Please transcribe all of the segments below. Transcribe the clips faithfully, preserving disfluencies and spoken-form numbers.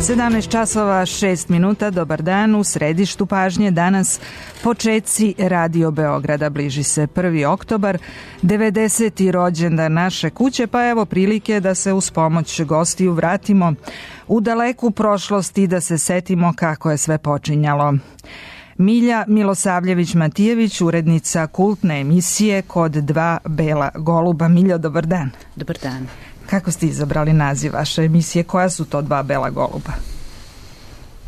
sedamnaest časova šest minuta, dobar dan, u središtu pažnje danas počeci Radio Beograda. Bliži se prvi oktobar, devedeseti rođendan naše kuće, pa evo prilike da se uz pomoć gostiju vratimo u daleku prošlost i da se setimo kako je sve počinjalo. Milja Milosavljević-Matijević, urednica kultne emisije Kod dva bela goluba. Miljo, dobar dan. Dobar dan. Kako ste izabrali naziv vaše emisije? Koja su to dva bela goluba?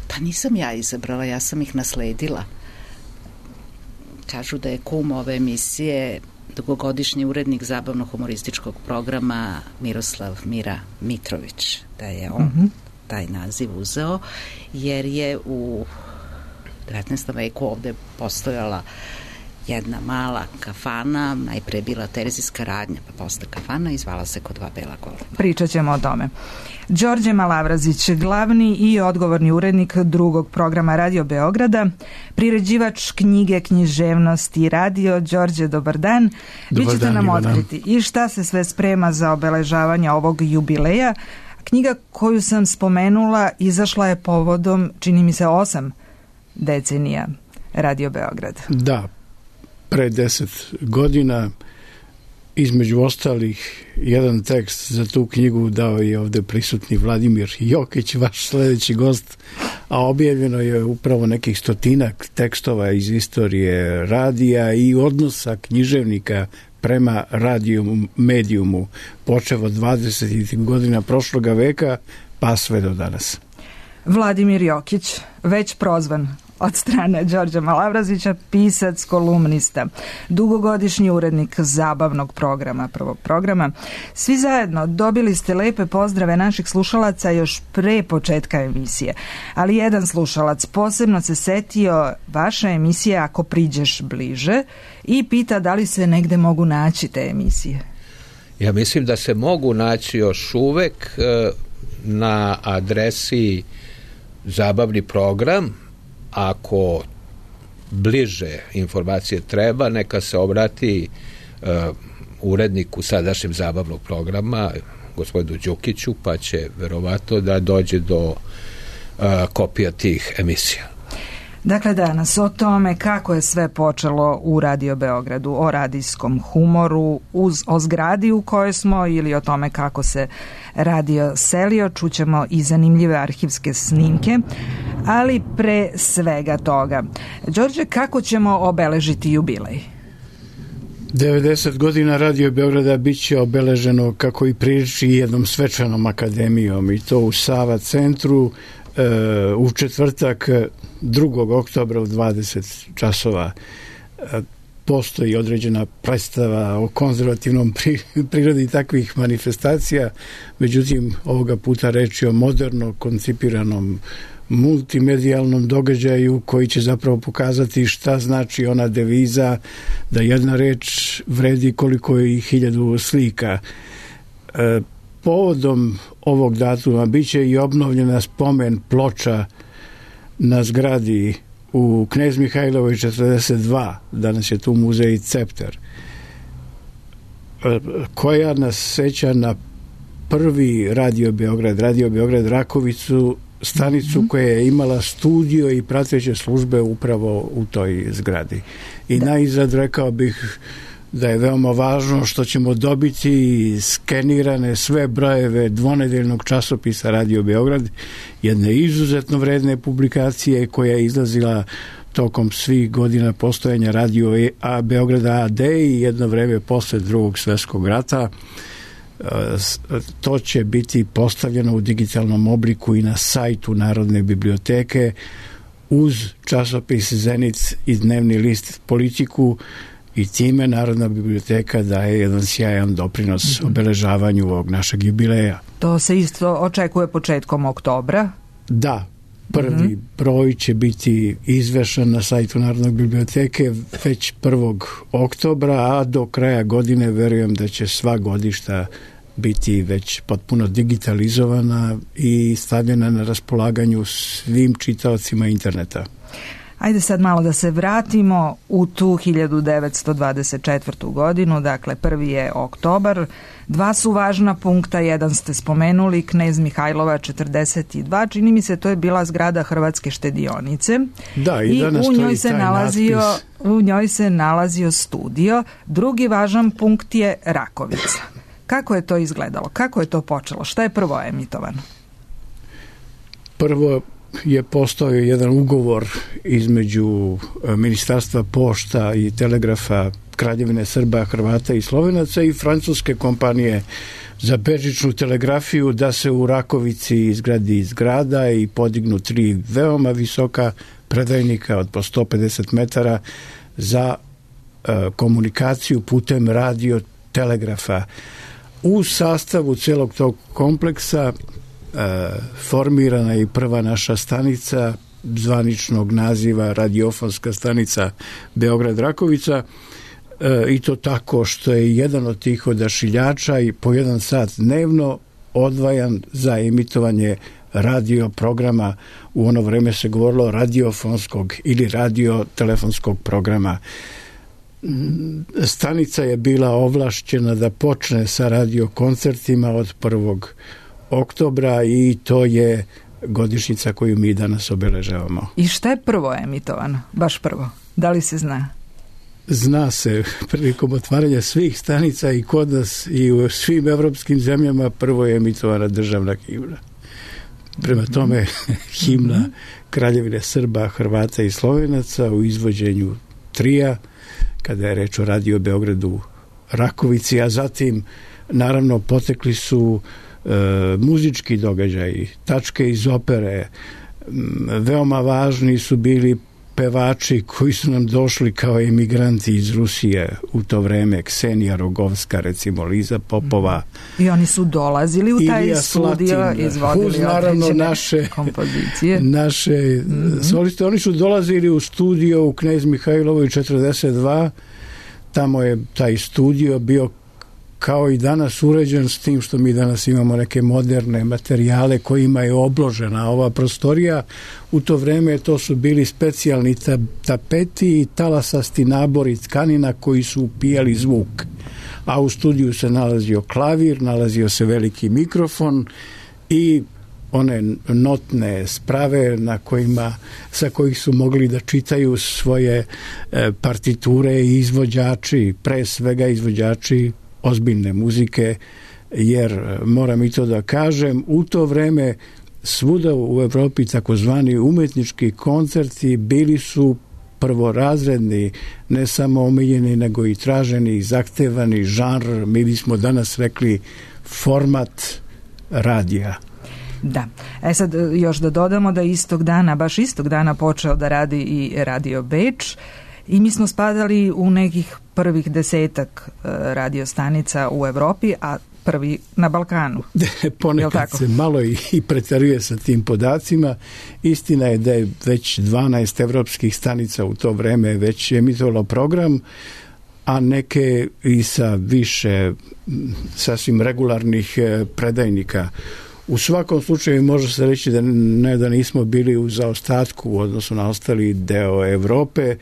Pa nisam ja izabrala, ja sam ih nasledila. Kažu da je kum ove emisije dugogodišnji urednik zabavno-humorističkog programa Miroslav Mira Mitrović, da je on mm-hmm. taj naziv uzeo, jer je u devetnaestom veku ovde postojala jedna mala kafana, najpre bila terzijska radnja, pa posle kafana i zvala se Kod dva bela goluba. Pričat ćemo o tome. Đorđe Malavrazić, glavni i odgovorni urednik drugog programa Radio Beograda, priređivač knjige književnosti i radio. Đorđe, dobar dan. Dobar Vi ćete dan, nam otkriti i šta se sve sprema za obeležavanje ovog jubileja. Knjiga koju sam spomenula izašla je povodom, čini mi se, osam decenija Radio Beograda. Da, pre deset godina, između ostalih, jedan tekst za tu knjigu dao je ovde prisutni Vladimir Jokić, vaš sledeći gost, a objavljeno je upravo nekih stotinak tekstova iz istorije radija i odnosa književnika prema radiju medijumu, počev od dvadesetih godina prošloga veka pa sve do danas. Vladimir Jokić, već prozvan od strane Đorđa Malavrazića, pisac, kolumnista, dugogodišnji urednik zabavnog programa, prvog programa. Svi zajedno dobili ste lepe pozdrave naših slušalaca još pre početka emisije, ali jedan slušalac posebno se setio vaše emisije Ako priđeš bliže i pita da li se negde mogu naći te emisije. Ja mislim da se mogu naći još uvek na adresi Zabavni program. Ako bliže informacije treba, neka se obrati uh, uredniku sadašnjeg zabavnog programa, gospodinu Đukiću, pa će verovatno da dođe do uh, kopija tih emisija. Dakle, danas o tome kako je sve počelo u Radio Beogradu, o radijskom humoru, uz, o zgradi u kojoj smo ili o tome kako se radio selio, čućemo i zanimljive arhivske snimke, ali pre svega toga. Đorđe, kako ćemo obeležiti jubilej? devedeset godina Radio Beograda bit će obeleženo, kako i priliči, jednom svečanom akademijom, i to u Sava centru u četvrtak drugog oktobra u dvadeset časova. Postoji određena predstava o konzervativnom prirodi takvih manifestacija, međutim ovoga puta reč je o moderno koncipiranom multimedijalnom događaju koji će zapravo pokazati šta znači ona deviza da jedna reč vredi koliko je i hiljadu slika. Povodom ovog datuma biće i obnovljena spomen ploča na zgradi u Knez Mihajlovoj četrdeset dva, danas je tu muzej Cepter, koja nas seća na prvi Radio Beograd, Radio Beograd Rakovicu, stanicu koja je imala studio i prateće službe upravo u toj zgradi. I da. Najzad rekao bih da je veoma važno što ćemo dobiti skenirane sve brojeve dvonedeljnog časopisa Radio Beograd, jedne izuzetno vredne publikacije koja je izlazila tokom svih godina postojanja Radio A Beograda A D i jedno vreme posle drugog svjetskog rata. To će biti postavljeno u digitalnom obliku i na sajtu Narodne biblioteke uz časopis Zenit i dnevni list Politiku, i time Narodna biblioteka daje jedan sjajan doprinos mm-hmm. obeležavanju ovog našeg jubileja. To se isto očekuje početkom oktobra? Da, prvi mm-hmm. broj će biti izvešan na sajtu Narodne biblioteke već prvog oktobra, a do kraja godine verujem da će sva godišta biti već potpuno digitalizovana i stavljena na raspolaganju svim čitaocima interneta. Ajde sad malo da se vratimo u tu hiljadu devetsto dvadeset četvrtu godinu, dakle prvi je oktobar. Dva su važna punkta, jedan ste spomenuli, Knez Mihajlova četrdeset dva, čini mi se to je bila zgrada Hrvatske štedionice. Da, i, i danas u njoj se taj nalazio natpis. u njoj se nalazio studio. Drugi važan punkt je Rakovica. Kako je to izgledalo? Kako je to počelo? Šta je prvo emitovano? Prvo je postojao jedan ugovor između Ministarstva pošta i telegrafa Kraljevine Srba, Hrvata i Slovenaca i francuske kompanije za bežičnu telegrafiju da se u Rakovici izgradi zgrada i podignu tri veoma visoka predajnika od po sto pedeset metara za e, komunikaciju putem radio telegrafa. U sastavu celog tog kompleksa e, formirana je i prva naša stanica zvaničnog naziva radiofonska stanica Beograd-Rakovica, e, i to tako što je jedan od tih odašiljača i po jedan sat dnevno odvajan za emitovanje radio programa. U ono vreme se govorilo radiofonskog ili radiotelefonskog programa. Stanica je bila ovlašćena da počne sa radiokoncertima od prvog oktobra i to je godišnjica koju mi danas obeležavamo. I šta je prvo emitovano? Baš prvo. Da li se zna? Zna se, prilikom otvaranja svih stanica i kod nas i u svim evropskim zemljama prvo je emitovana državna himna. Prema tome, himna Kraljevine Srba, Hrvata i Slovenaca u izvođenju trija, kada je reč o Radio Beogradu Rakovici, a zatim naravno potekli su e, muzički događaji, tačke iz opere. Veoma važni su bili pevači koji su nam došli kao emigranti iz Rusije u to vreme, Ksenija Rogovska, recimo Liza Popova. I oni su dolazili u taj Ilija studio, Slatin, izvodili uz naravno određene naše kompozicije. Naše mm-hmm. soliste. Oni su dolazili u studio u Knez Mihajlovoj četrdeset dva. Tamo je taj studio bio kao i danas uređen, s tim što mi danas imamo neke moderne materijale kojima je obložena ova prostorija. U to vreme to su bili specijalni tapeti i talasasti nabori tkanina koji su upijali zvuk. A u studiju se nalazio klavir, nalazio se veliki mikrofon i one notne sprave na kojima, sa kojih su mogli da čitaju svoje e, partiture i izvođači, pre svega izvođači ozbiljne muzike, jer moram i to da kažem, u to vreme svuda u Evropi takozvani umetnički koncerti bili su prvorazredni, ne samo omiljeni, nego i traženi i zahtevani žanr, mi bismo danas rekli format radija. Da. E sad još da dodamo da istog dana, baš istog dana počeo da radi i Radio Beč i mi smo spadali u nekih prvih desetak radio stanica u Evropi, a prvi na Balkanu. Ponekad se malo i, i preteruje sa tim podacima. Istina je da je već dvanaest evropskih stanica u to vreme već emitovalo program, a neke i sa više sasvim regularnih predajnika. U svakom slučaju može se reći da ne da nismo bili u zaostatku u odnosu na ostali deo Evrope,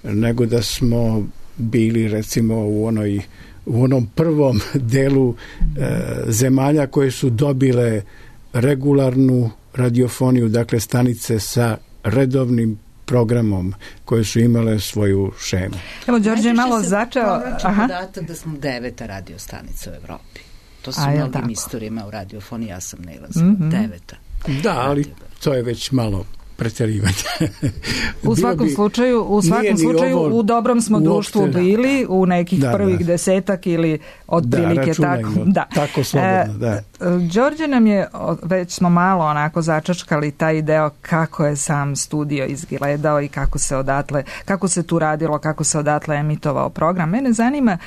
nego da smo bili recimo u onoj u onom prvom delu e, zemalja koje su dobile regularnu radiofoniju, dakle stanice sa redovnim programom koje su imale svoju šemu. Evo, Đorđe je malo začeo... Aha. Podatak da smo deveta radio stanica u Evropi. To su mnogim istorijama u radiofoniji, ja sam nailazila. Mm-hmm. Deveta. Da, ali to je već malo pretjerivanje. U svakom bi, slučaju, u svakom slučaju u dobrom smo društvu bili, u nekih da, prvih da. desetak ili otprilike da, tako. Da, tako slobodno, da. E, Đorđe nam je, već smo malo onako začačkali taj deo kako je sam studio izgledao i kako se odatle, kako se tu radilo, kako se odatle emitovao program. Mene zanima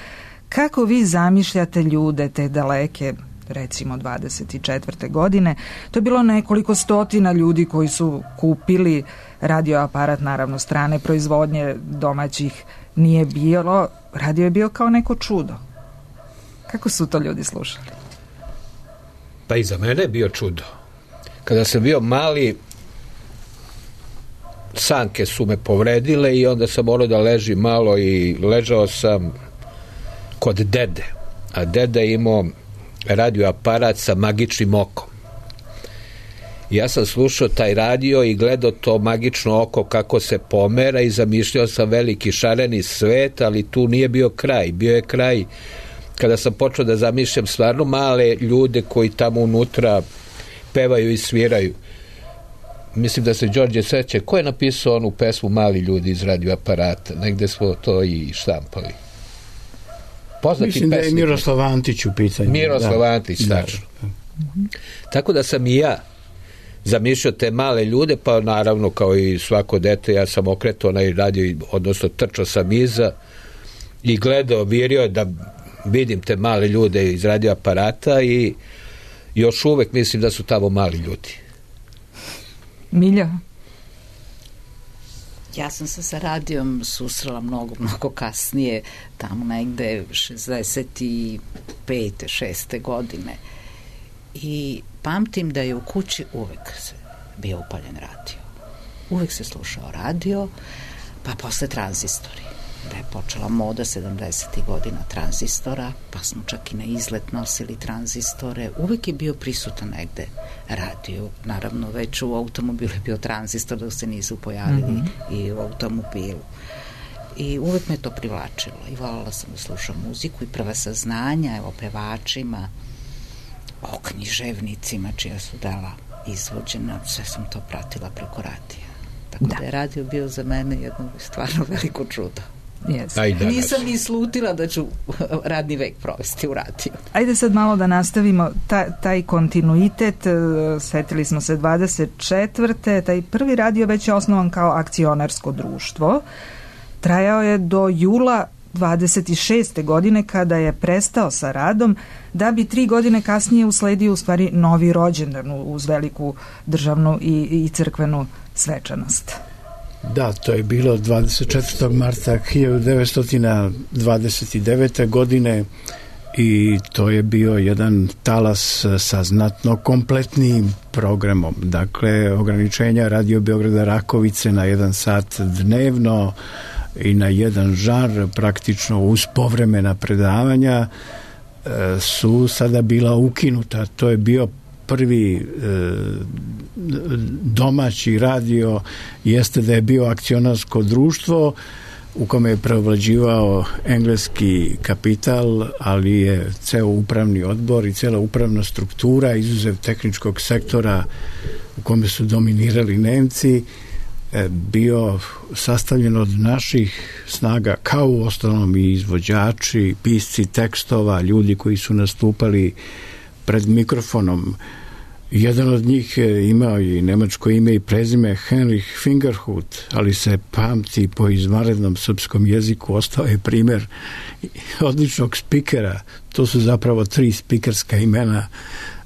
kako vi zamišljate ljude te daleke, recimo dvadeset četvrte godine. To je bilo nekoliko stotina ljudi koji su kupili radioaparat, naravno strane proizvodnje, domaćih nije bilo. Radio je bio kao neko čudo. Kako su to ljudi slušali? Pa i za mene je bio čudo. Kada sam bio mali, sanke su me povredile i onda sam morao da ležim malo i ležao sam kod dede. A deda je imao radio aparat sa magičnim okom. Ja sam slušao taj radio i gledao to magično oko kako se pomera i zamišljao sam veliki šareni svet, ali tu nije bio kraj. Bio je kraj kada sam počeo da zamišljam stvarno male ljude koji tamo unutra pevaju i sviraju. Mislim da se Đorđe seća. Ko je napisao onu pesmu Mali ljudi iz radioaparata? Negde smo to i štampali. Poznati Mislim pesnik. Da je Miroslav Antić u pitanju. Miroslav da. Antić, tačno. Da. Tako da sam i ja zamišljao te male ljude, pa naravno kao i svako dete ja sam okretao onaj radio, odnosno trčao sam iza i gledao, virio da vidim te male ljude iz radioaparata i još uvek mislim da su tamo mali ljudi. Milja? Ja sam se sa radijom susrela mnogo, mnogo kasnije, tamo negde šezdeset pete šeste godine. I pamtim da je u kući uvek bio upaljen radio. Uvek se slušao radio, pa posle tranzistori. Da je počela moda sedamdesetih godina tranzistora, pa smo čak i na izlet nosili tranzistore. Uvek je bio prisutan negde radio. Naravno, već u automobilu je bio tranzistor dok se nisu pojavili mm-hmm. i u automobilu. I uvek me to privlačilo. I voljela sam da slušam muziku i prva saznanja o pevačima, o književnicima čija su dela izvođena. Sve sam to pratila preko radija. Tako da, da je radio bio za mene jedno stvarno veliko čudo. Yes. Nisam ni slutila da ću radni vek provesti u radiju. Ajde sad malo da nastavimo ta, taj kontinuitet. Setili smo se dvadeset četvrte Taj prvi radio već je osnovan kao akcionarsko društvo. Trajao je do jula dvadeset šeste godine kada je prestao sa radom, da bi tri godine kasnije usledio u stvari novi rođendan uz veliku državnu i, i crkvenu svečanost. Da, to je bilo dvadeset četvrtog marta hiljadu devetsto dvadeset devete godine i to je bio jedan talas sa znatno kompletnim programom. Dakle, ograničenja Radio Beograda Rakovice na jedan sat dnevno i na jedan žar, praktično uz povremena predavanja, su sada bila ukinuta. To je bio prvi e, domaći radio, jeste da je bio akcionarsko društvo u kome je preovlađivao engleski kapital, ali je ceo upravni odbor i cela upravna struktura, izuzev tehničkog sektora u kome su dominirali Nemci, e, bio sastavljen od naših snaga, kao u ostalom i izvođači, pisci tekstova, ljudi koji su nastupali pred mikrofonom. Jedan od njih je imao i nemačko ime i prezime Heinrich Fingerhut, ali se pamti po izvanrednom srpskom jeziku, ostao je primer odličnog spikera. To su zapravo tri spikerska imena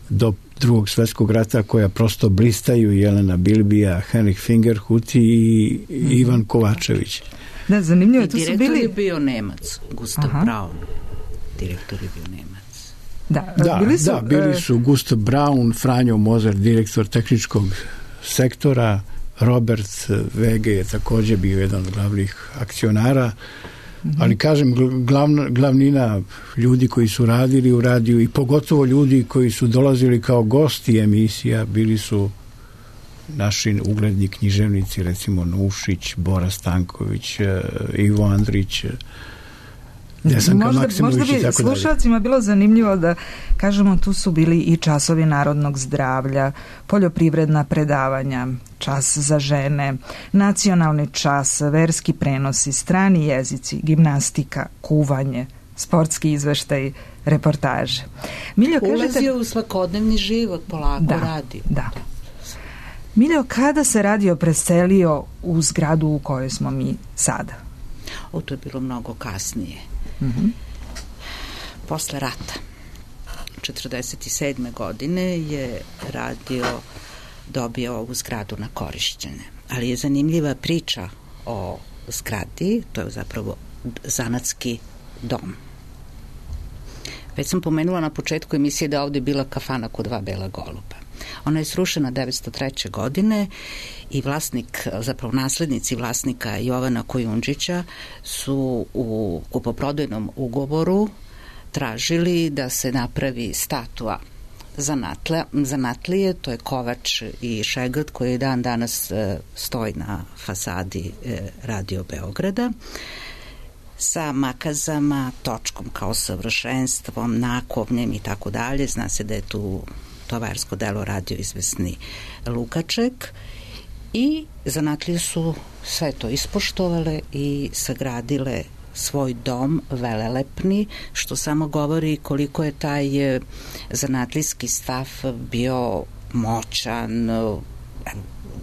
do drugog svetskog rata koja prosto blistaju: Jelena Bilbija, Heinrich Fingerhut i Ivan Kovačević. Da, zanimljivo je. I direktor je bio Nemac, Gustav Aha. Braun. Direktor je bio Nemac. Da, da, bili su, da, bili su Gustav Braun, Franjo Mozer, direktor tehničkog sektora, Robert Vege je također bio jedan od glavnih akcionara, mm-hmm. ali kažem, glavna, glavnina ljudi koji su radili u radiju i pogotovo ljudi koji su dolazili kao gosti emisija, bili su naši ugledni književnici, recimo Nušić, Bora Stanković, Ivo Andrić, Desanka možda, možda bi slušalcima bilo zanimljivo da kažemo, tu su bili i časovi narodnog zdravlja, poljoprivredna predavanja, čas za žene, nacionalni čas, verski prenosi, strani jezici, gimnastika, kuvanje, sportski izveštaj, reportaže. Miljo, ulazio kažete, u svakodnevni život, polako da, radio. Da. Miljo, kada se radio preselio u zgradu u kojoj smo mi sada? O, to je bilo mnogo kasnije. Mm-hmm. Posle rata četrdeset sedme godine je radio dobio ovu zgradu na korišćenje, ali je zanimljiva priča o zgradi. To je zapravo zanatski dom. Već sam pomenula na početku emisije da ovdje bila kafana kod dva bela goluba. Ona je srušena devetsto treće. godine i vlasnik, zapravo naslednici vlasnika Jovana Kojundžića su u kupoprodajnom ugovoru tražili da se napravi statua zanatle, zanatlije, to je kovač i šegrt koji dan danas e, stoji na fasadi e, Radio Beograda, sa makazama, točkom kao savršenstvom, nakovnjem i tako dalje. Zna se da je tu tovarsko delo radio izvesni Lukaček i zanatlije su sve to ispoštovale i sagradile svoj dom velelepni, što samo govori koliko je taj zanatlijski stav bio moćan,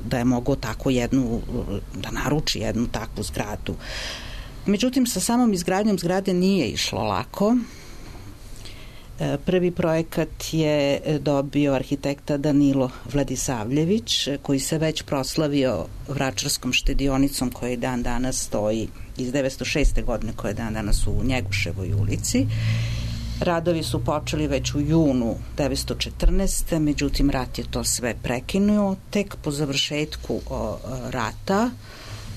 da je mogao tako jednu, da naruči jednu takvu zgradu. Međutim, sa samom izgradnjom zgrade nije išlo lako. Prvi projekat je dobio arhitekta Danilo Vladisavljević, koji se već proslavio Vračarskom štedionicom koja je dan danas stoji iz devetsto šeste. godine, koja je dan danas u Njeguševoj ulici. Radovi su počeli već u junu devetsto četrnaeste. Međutim, rat je to sve prekinuo. Tek po završetku o, rata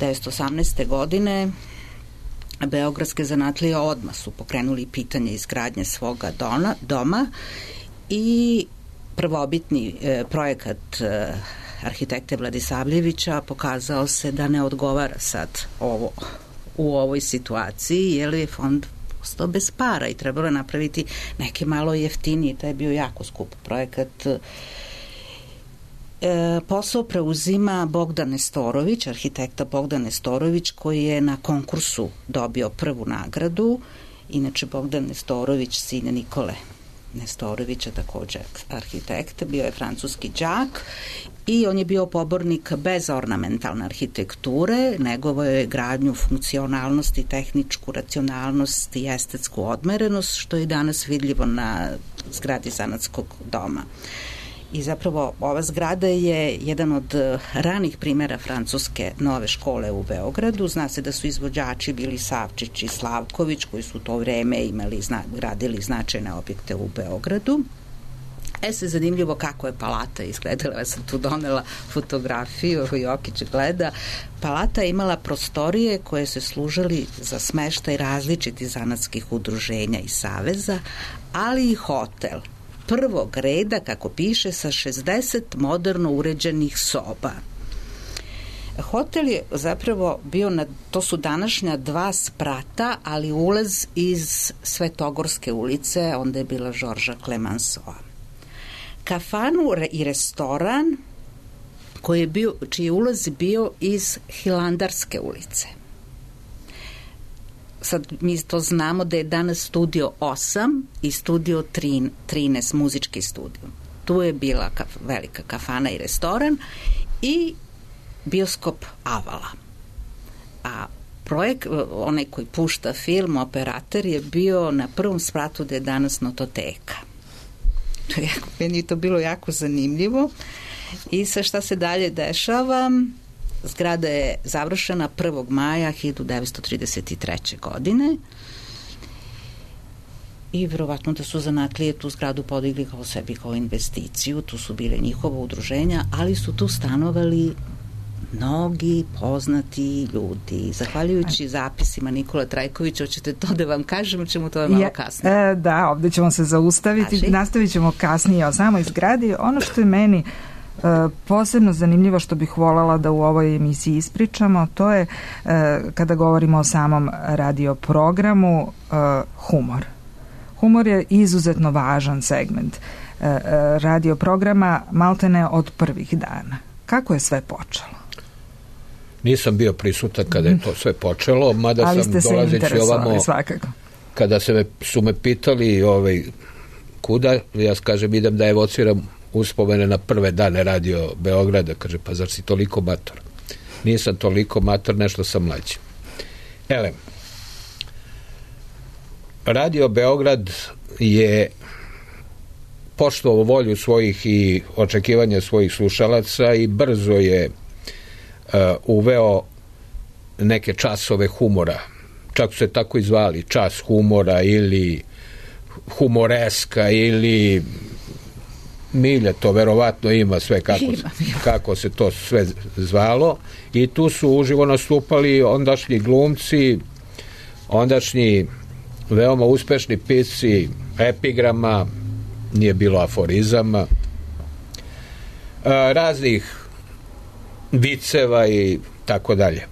devetsto osamnaeste. godine beogradske zanatlije odmah su pokrenuli pitanje izgradnje svoga dona, doma i prvobitni e, projekat e, arhitekte Vladisavljevića pokazao se da ne odgovara sad ovo, u ovoj situaciji, jer je fond postao bez para i trebalo je napraviti neke malo jeftinije, taj je bio jako skup projekat. E, posao preuzima Bogdan Nestorović, arhitekta Bogdan Nestorović, koji je na konkursu dobio prvu nagradu. Inače, Bogdan Nestorović, sin Nikole Nestorovića, također arhitekt, bio je francuski đak i on je bio pobornik bez ornamentalne arhitekture, negovo je gradnju funkcionalnosti, tehničku racionalnost i estetsku odmerenost, što je danas vidljivo na zgradi zanatskog doma. I zapravo ova zgrada je jedan od ranih primjera francuske nove škole u Beogradu. Zna se da su izvođači bili Savčić i Slavković, koji su u to vreme imali, zna, gradili značajne objekte u Beogradu. E se zanimljivo kako je palata izgledala. Ja sam tu donela fotografiju, Jokić gleda. Palata je imala prostorije koje se služili za smeštaj različitih zanatskih udruženja i saveza, ali i hotel prvog reda, kako piše, sa šezdeset moderno uređenih soba. Hotel je zapravo bio, na, to su današnja dva sprata, ali ulaz iz Svetogorske ulice, onda je bila Žorža Clemenceau. Kafanu i restoran koji je bio, čiji ulaz bio iz Hilandarske ulice. Sad mi to znamo da je danas studio osam i studio trinaest, muzički studio. Tu je bila kaf, velika kafana i restoran i bioskop Avala. A projekt, onaj koji pušta film, operator, je bio na prvom spratu da je danas Nototeka. To je, meni je to bilo jako zanimljivo. I sa šta se dalje dešava? Zgrada je završena prvog maja hiljadu devetsto trideset treće. godine i verovatno da su zanatlije tu zgradu podigli kao sebi kao investiciju, tu su bile njihova udruženja, ali su tu stanovali mnogi poznati ljudi. Zahvaljujući zapisima Nikola Trajkovića, hoćete to da vam kažem, ćemo to malo kasnije. E, da, ovde ćemo se zaustaviti, Kaži. nastavit ćemo kasnije o samoj zgradi. Ono što je meni E, posebno zanimljivo, što bih voljela da u ovoj emisiji ispričamo, to je e, kada govorimo o samom radio programu, e, humor. Humor je izuzetno važan segment e, e, radio programa, maltene od prvih dana. Kako je sve počelo? Nisam bio prisutan kada je to sve počelo, mada Ali sam dolazeći ovamo, svakako. Kada se me, su me pitali ovaj, kuda, ja kažem idem da evociram uspomene na prve dane Radio Beograda, kaže, pa zar si toliko mator? Nisam toliko mator, nešto sam mlađi. Ele, Radio Beograd je poštovao volju svojih i očekivanja svojih slušalaca i brzo je uh, uveo neke časove humora. Čak su se tako i zvali, čas humora ili humoreska ili milje, to verovatno ima sve kako, ima. kako se to sve zvalo, i tu su uživo nastupali ondašnji glumci, ondašnji veoma uspešni pisci epigrama, nije bilo aforizama, raznih viceva i tako dalje.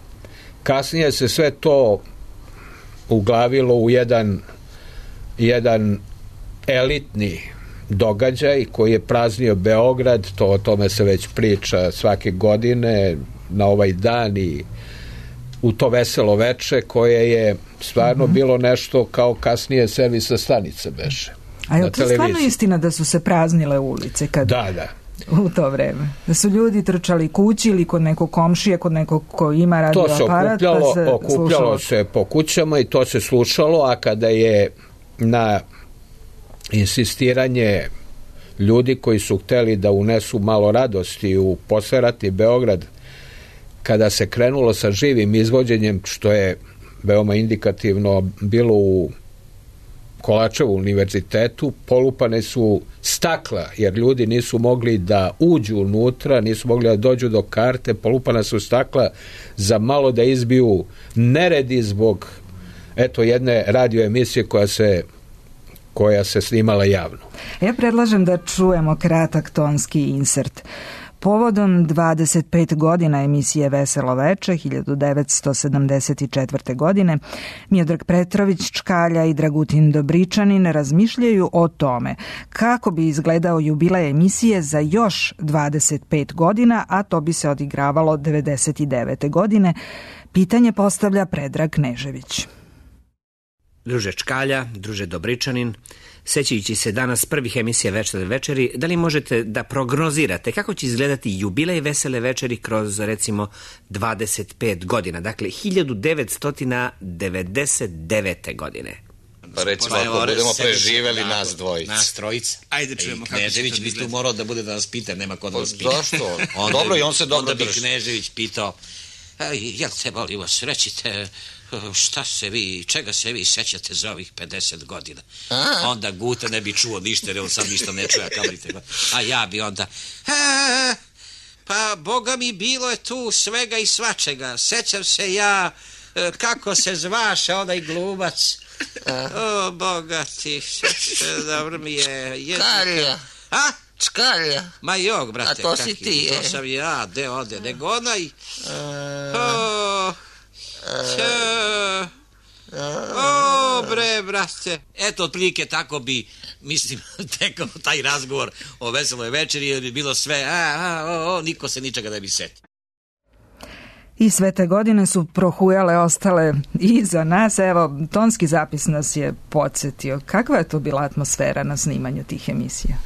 Kasnije se sve to uglavilo u jedan jedan elitni događaj koji je praznio Beograd, to o tome se već priča svake godine na ovaj dan i u to veselo veče, koje je stvarno mm-hmm. bilo nešto kao kasnije servisna stanica beše. A je to stvarno istina da su se praznile ulice kad... Da, da. U to vreme. Da su ljudi trčali kući ili kod nekog komšije, kod nekog ko ima radio aparat. To se okupljalo, pa se okupljalo slušalo. se po kućama i to se slušalo, a kada je na insistiranje ljudi koji su hteli da unesu malo radosti u posleratni Beograd, kada se krenulo sa živim izvođenjem, što je veoma indikativno bilo u Kolačevu univerzitetu, polupane su stakla, jer ljudi nisu mogli da uđu unutra, nisu mogli da dođu do karte, polupana su stakla za malo da izbiju neredi zbog eto jedne radio emisije koja se koja se snimala javno. Ja predlažem da čujemo kratak tonski insert. Povodom dvadeset pet godina emisije Veselo veče hiljadu devetsto sedamdeset četvrte. godine Miodrag Petrović Čkalja i Dragutin Dobričanin razmišljaju o tome kako bi izgledao jubilej emisije za još dvadeset pet godina, a to bi se odigravalo devedeset devete. godine. Pitanje postavlja Predrag Knežević. Druže Čkalja, druže Dobričanin, sećajući se danas prvih emisija Vesele večeri, da li možete da prognozirate kako će izgledati jubilej Vesele večeri kroz, recimo, dvadeset pet godina, dakle, hiljadu devetsto devedeset devete. godine? Pa recimo, ako budemo preživeli nas dvojica. Nas trojica. Ajde čujemo kako će to izgledati. Knežević bi tu morao da bude da nas pita, nema ko da nas pita. Zašto? Dobro, i on se dobro drži. Onda bi Knežević pitao, jel te molim vas, rećite, šta se vi, čega se vi sećate za ovih pedeset godina? A? Onda Guta ne bi čuo ništa, jer on sam ništa ne čuje, a ja bi onda, e, pa boga mi bilo je tu svega i svačega. Sećam se ja, kako se zvaše onaj glumac. A? O, boga ti, dobro mi je. Čkalja. A? Čkalja. Ma jok, brate. A to si kaki, ti, to je. To sam ja, de ode, nego onaj. A... O... Če... O, bre, brate. Eto, otprilike tako bi, mislim, tekao taj razgovor o Veseloj večeri, jer bi bilo sve, a, a, o, o, niko se ničega ne bi setio. I sve te godine su prohujale, ostale iza nas. Evo, tonski zapis nas je podsjetio. Kakva je to bila atmosfera na snimanju tih emisija?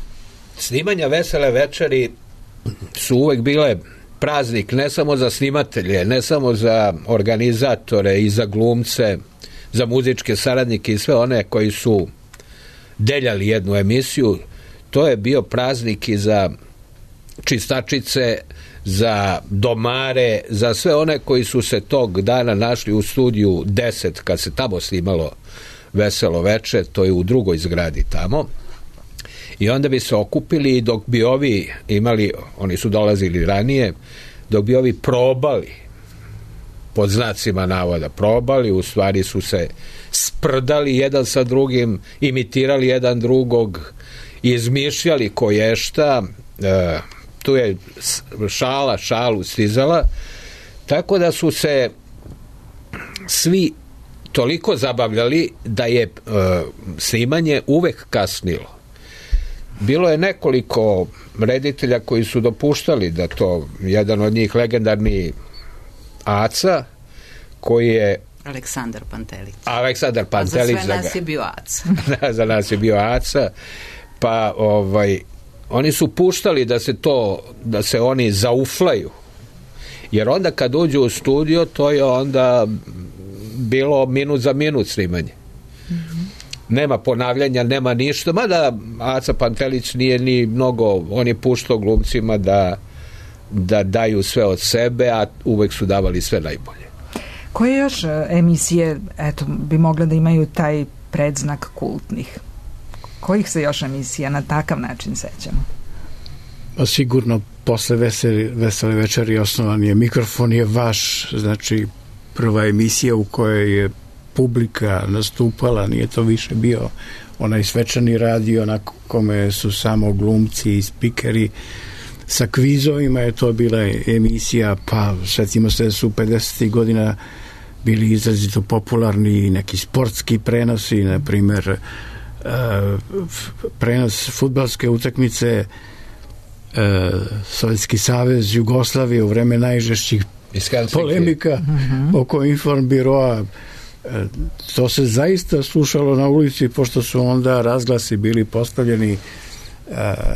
Snimanja Vesele večeri su uvek bile praznik ne samo za snimatelje, ne samo za organizatore i za glumce, za muzičke saradnike i sve one koji su deljali jednu emisiju. To je bio praznik i za čistačice, za domare, za sve one koji su se tog dana našli u studiju deset, kad se tamo snimalo Veselo veče, to je u drugoj zgradi tamo. I onda bi se okupili i dok bi ovi imali, oni su dolazili ranije, dok bi ovi probali, pod znacima navoda probali, u stvari su se sprdali jedan sa drugim, imitirali jedan drugog, izmišljali ko je šta, e, tu je šala šalu stizala, tako da su se svi toliko zabavljali da je e, snimanje uvek kasnilo. Bilo je nekoliko reditelja koji su dopuštali da to, jedan od njih legendarni Aca, koji je Aleksandar Pantelić. Aleksandar Pantelić. A za sve nas je bio Aca. Da, za nas je bio Aca. Pa ovaj, oni su puštali da se to, da se oni zauflaju. Jer onda kad uđu u studio, to je onda bilo minut za minut snimanje. Mm-hmm. Nema ponavljanja, nema ništa, mada Aca Pantelić nije ni mnogo, on je puštao glumcima da, da daju sve od sebe, a uvek su davali sve najbolje. Koje još emisije, eto, bi mogle da imaju taj predznak kultnih? Kojih se još emisija na takav način sećamo? Pa sigurno posle veseli, vesele večeri osnovan je Mikrofon je vaš, znači prva emisija u kojoj je publika nastupala, nije to više bio onaj svečani radio na kome su samo glumci i spikeri. Sa kvizovima je to bila emisija, pa sjetimo se da su pedesetih godina bili izrazito popularni neki sportski prenosi, na primjer prenos fudbalske utakmice Sovjetski savez Jugoslavije u vreme najžešćih polemika mm-hmm. oko Informbiroa. To se zaista slušalo na ulici, pošto su onda razglasi bili postavljeni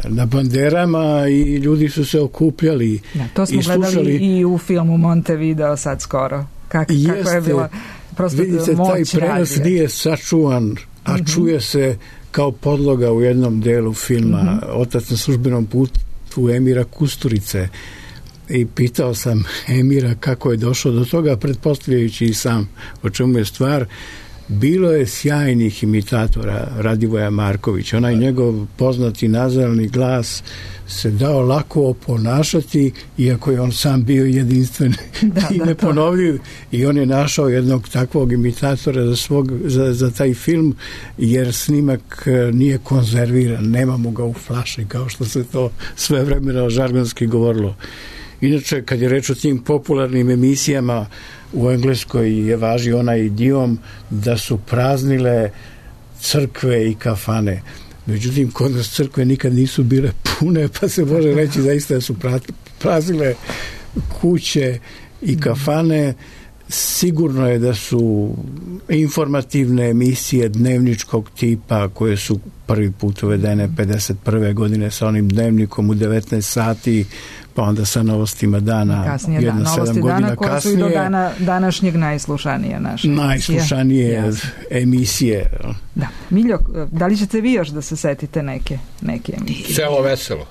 na banderama i ljudi su se okupljali. Da, to smo i slušali. Gledali i u filmu Montevideo sad skoro. Kak, Jeste, kako je bila prosto vidite, moć taj prenos radije. Nije sačuvan, a mm-hmm. čuje se kao podloga u jednom delu filma mm-hmm. Otac na službenom putu Emira Kusturice. I pitao sam Emira kako je došao do toga, pretpostavljajući i sam o čemu je stvar. Bilo je sjajnih imitatora Radivoja Markovića. Onaj njegov poznati nazalni glas se dao lako oponašati, iako je on sam bio jedinstven da, i neponovljiv. I on je našao jednog takvog imitatora za, svog, za, za taj film, jer snimak nije konzerviran, nemamo ga u flaši, kao što se to sve vremena žargonski govorilo. Inače, kad je reč o tim popularnim emisijama, u Engleskoj je važi onaj idiom da su praznile crkve i kafane. Međutim, kod nas crkve nikad nisu bile pune, pa se može reći zaista da su praznile kuće i kafane. Sigurno je da su informativne emisije dnevničkog tipa koje su prvi put uvedene pedeset prve godine sa onim dnevnikom u devetnaest sati, pa onda sa novostima dana kasnije, jedno da, sedam godina dana, koje kasnije. Su i do dana, današnjeg najslušanije naše Najslušanije emisije. emisije. Da. Miljo, da li ćete vi još da se setite neke, neke emisije? Selo veselo.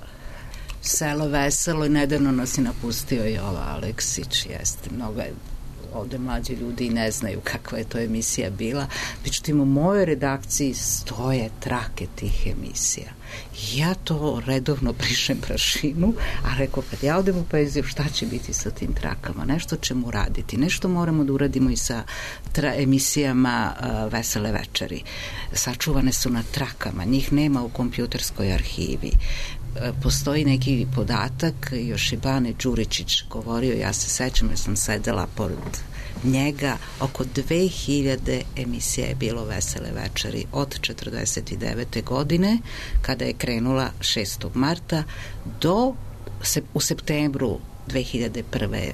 Selo veselo i nedavno nas je napustio Jova Aleksić, jeste, mnogo je ovde mlađi ljudi ne znaju kakva je to emisija bila. Međutim, u mojoj redakciji stoje trake tih emisija. Ja to redovno brišem prašinu, a rekao, kad ja odem u penziju, šta će biti sa tim trakama? Nešto ćemo raditi. Nešto moramo da uradimo i sa tra- emisijama uh, Vesele večeri. Sačuvane su na trakama. Njih nema u kompjuterskoj arhivi. Postoji neki podatak, još i Bane Đuričić govorio, ja se sećam jer sam sedela pored njega, oko dve hiljade emisija je bilo Vesele večeri od četrdeset devete godine, kada je krenula šestog marta, do u septembru dve hiljade prve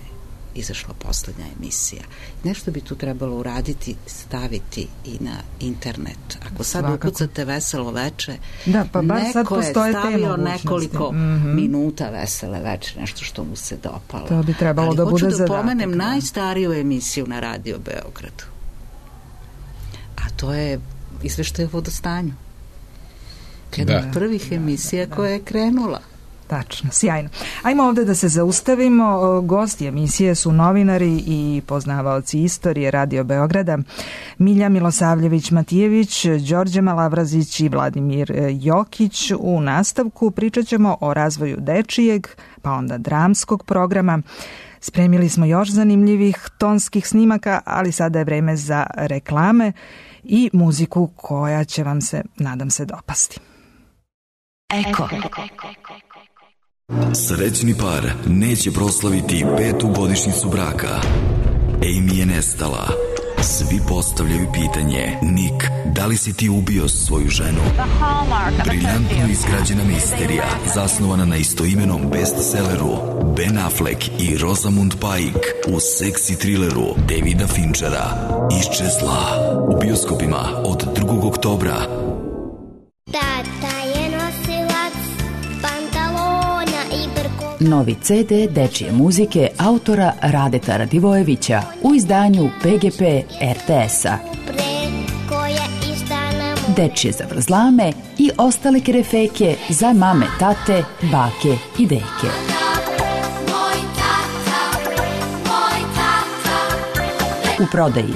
izašla poslednja emisija. Nešto bi tu trebalo uraditi, staviti i na internet. Ako sad Svakako. Ukucate Veselo veče, da, pa neko je stavio nekoliko mm-hmm. minuta Vesele veče, nešto što mu se dopalo. To bi trebalo Ali da bude zadatak. Ali hoću da pomenem da. najstariju emisiju na Radio Beogradu. A to je izveštaj o vodostanju. Jedna od prvih emisija da, da. koja je krenula. Tačno, sjajno. Ajmo ovde da se zaustavimo. Gosti emisije su novinari i poznavaoci istorije Radio Beograda Milja Milosavljević-Matijević, Đorđe Malavrazić i Vladimir Jokić. U nastavku pričat ćemo o razvoju dečijeg, pa onda dramskog programa. Spremili smo još zanimljivih tonskih snimaka, ali sada je vreme za reklame i muziku koja će vam se, nadam se, dopasti. Eko. Srećni par neće proslaviti petu godišnjicu braka. Amy je nestala. Svi postavljaju pitanje: Nick, da li si ti ubio svoju ženu? Briljantno izgrađena misterija, zasnovana na istoimenom bestselleru Ben Affleck i Rosamund Pike u seksi trileru Davida Finchera Iščezla, u bioskopima od drugog oktobra. Tata je nosilac pantalona i brko. Novi ce de dečije muzike autora Radeta Radivojevića u izdanju pe ge pe er te es-a. Dečije zavrzlame i ostale kerefeke za mame, tate, bake i deke. U prodaji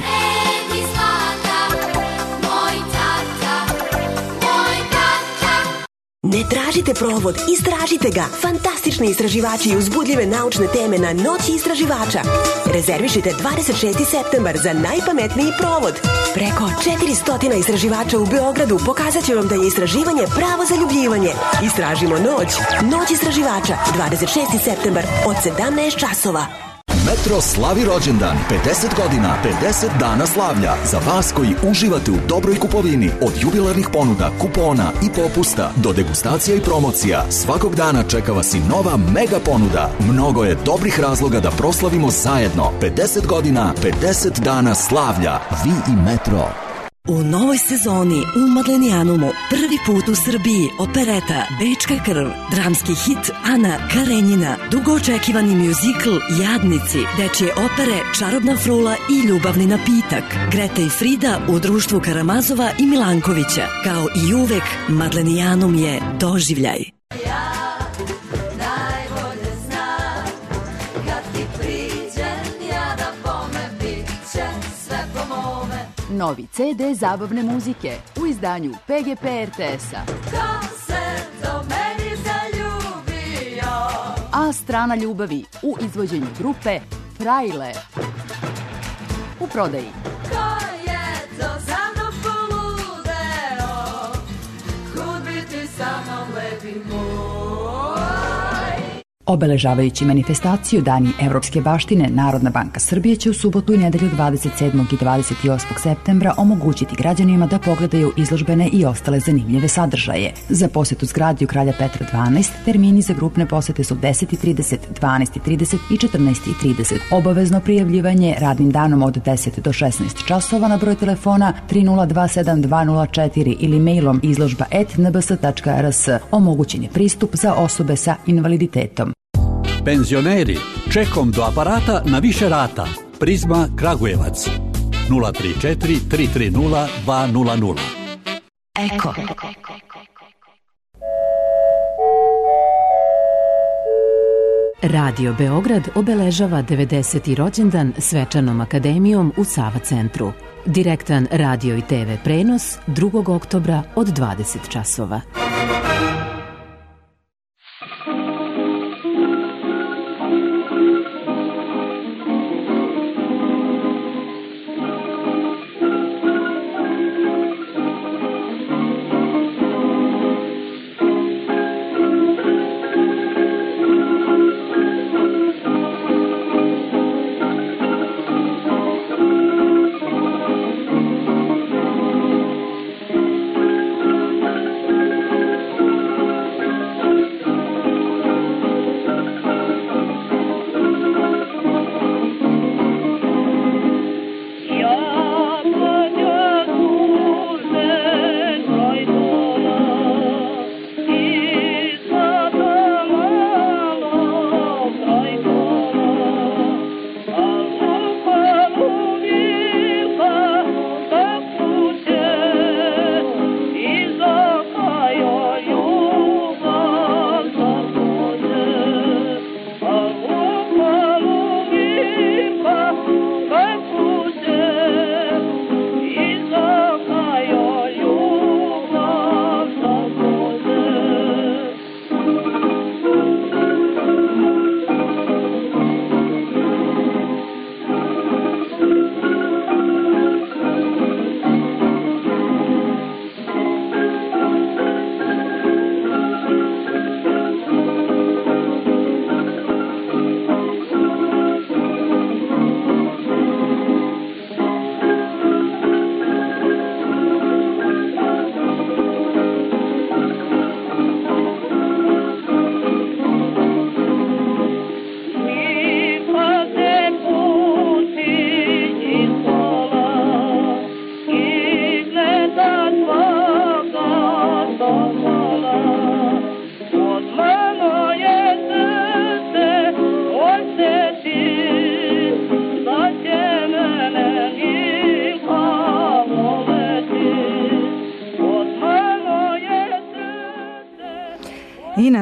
Ne tražite provod, istražite ga. Fantastični istraživači i uzbudljive naučne teme na Noći istraživača. Rezervišite dvadeset šesti septembar za najpametniji provod. Preko četiristo istraživača u Beogradu pokazat će vam da je istraživanje pravo zaljubljivanje. Istražimo noć. Noć istraživača, dvadeset šesti septembar od sedamnaest časova. Metro slavi rođendan, pedeset godina, pedeset dana slavlja. Za vas koji uživate u dobroj kupovini, od jubilarnih ponuda, kupona i popusta do degustacija i promocija, svakog dana čeka vas i nova mega ponuda. Mnogo je dobrih razloga da proslavimo zajedno. pedeset godina, pedeset dana slavlja. Vi i Metro. U novoj sezoni u Madlenijanumu prvi put u Srbiji opereta Bečka krv, dramski hit Ana Karenjina, dugo očekivani mjuzikl Jadnici, dečje opere Čarobna frula i Ljubavni napitak, Greta i Frida u društvu Karamazova i Milankovića. Kao i uvek, Madlenijanum je doživljaj. Novi ce de zabavne muzike u izdanju pe ge pe er te es-a. Ko se do meni zaljubio? A strana ljubavi u izvođenju grupe Frajle. U prodaji. Ko je to za mnom poludeo? Kud biti sa mnom lepi moj? Obeležavajući manifestaciju Dani evropske baštine, Narodna banka Srbije će u subotu i nedelju dvadeset sedmog i dvadeset osmog septembra omogućiti građanima da pogledaju izložbene i ostale zanimljive sadržaje. Za posetu zgradi u Kralja Petra dvanaest termini za grupne posete su deset i trideset, dvanaest i trideset i četrnaest i trideset. Obavezno prijavljivanje radnim danom od deset do šesnaest časova na broj telefona tri nula dva sedam dva nula četiri ili mailom izložba et en be es tačka er es. Omogućen je pristup za osobe sa invaliditetom. Penzioneri, čekom do aparata na više rata. Prizma Kragujevac. nula tri četiri tri tri nula dva nula nula. Eko. Radio Beograd obeležava devedeseti rođendan svečanom akademijom u Sava centru. Direktan radio i te ve prenos drugog oktobra od dvadeset časova.